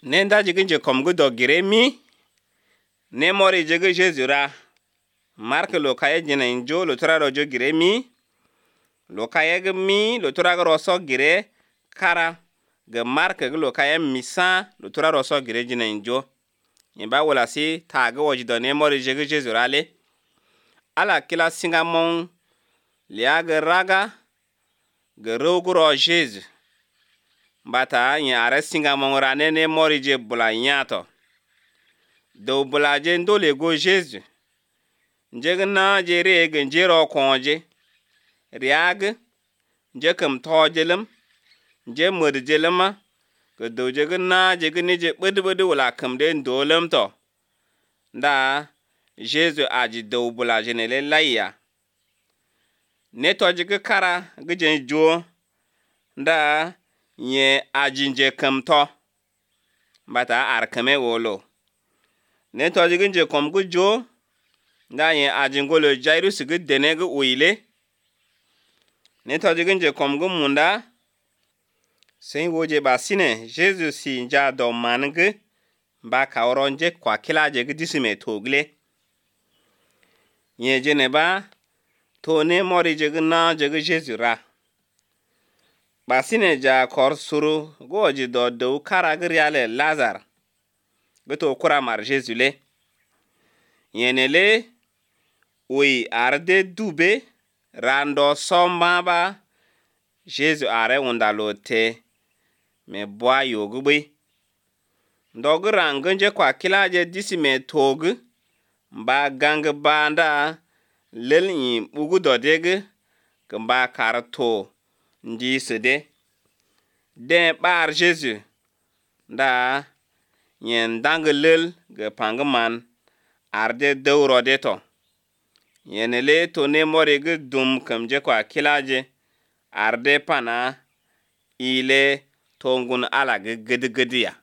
Nenda jigin je kom gu dogire mi ne mori jege Jésus ra marque lo kaye jina injo lo tura rojo gire mi lo kaye ge mi lo tura ga roso gire kara ge marque ge lo kaye misa lo tura roso gire jina injo imba wala si ta ge woji do ne mori jege Jésus ra le ala kila singa mon liya ge raga ge rogo ro Jésus bata nya are singa mon ra ne mori je bula nyato do bula je ndole go Jésus njege na je rege njero konje riag nje kam tojelem nje modjelema ke do jege na jege ni je bede wala kam de ndolem to nda Jésus aji do bula je ne le laya ne to jege kara ge jo nda nye aji nje kam to bata arkame wolo ne to jige nje kom gu jo nda ye ajingolo Jairus ge denege uile ne to jige nje kom gu munda sen woje basine Jesus si nja do mange ba kawronje kwa kilaje ge disime togle ye jene ba to ne mori jege na jege Jesus ra basine ja kor suru goji do kara ge riale Lazar beto kura mar Jésus le yenele oui arde dube rando somba ba Jésus are undalote me bwa yogube ndogu rangenje kwa kilaje disime togu mba gang banda lelni bugu dodege kamba karto ndi sede de bar Jésus nda yen dangelel ge pangman arde dewro de to yenele to ne mori ge dum kamje kwa kilaje arde pana ile tongun ala ge gede ya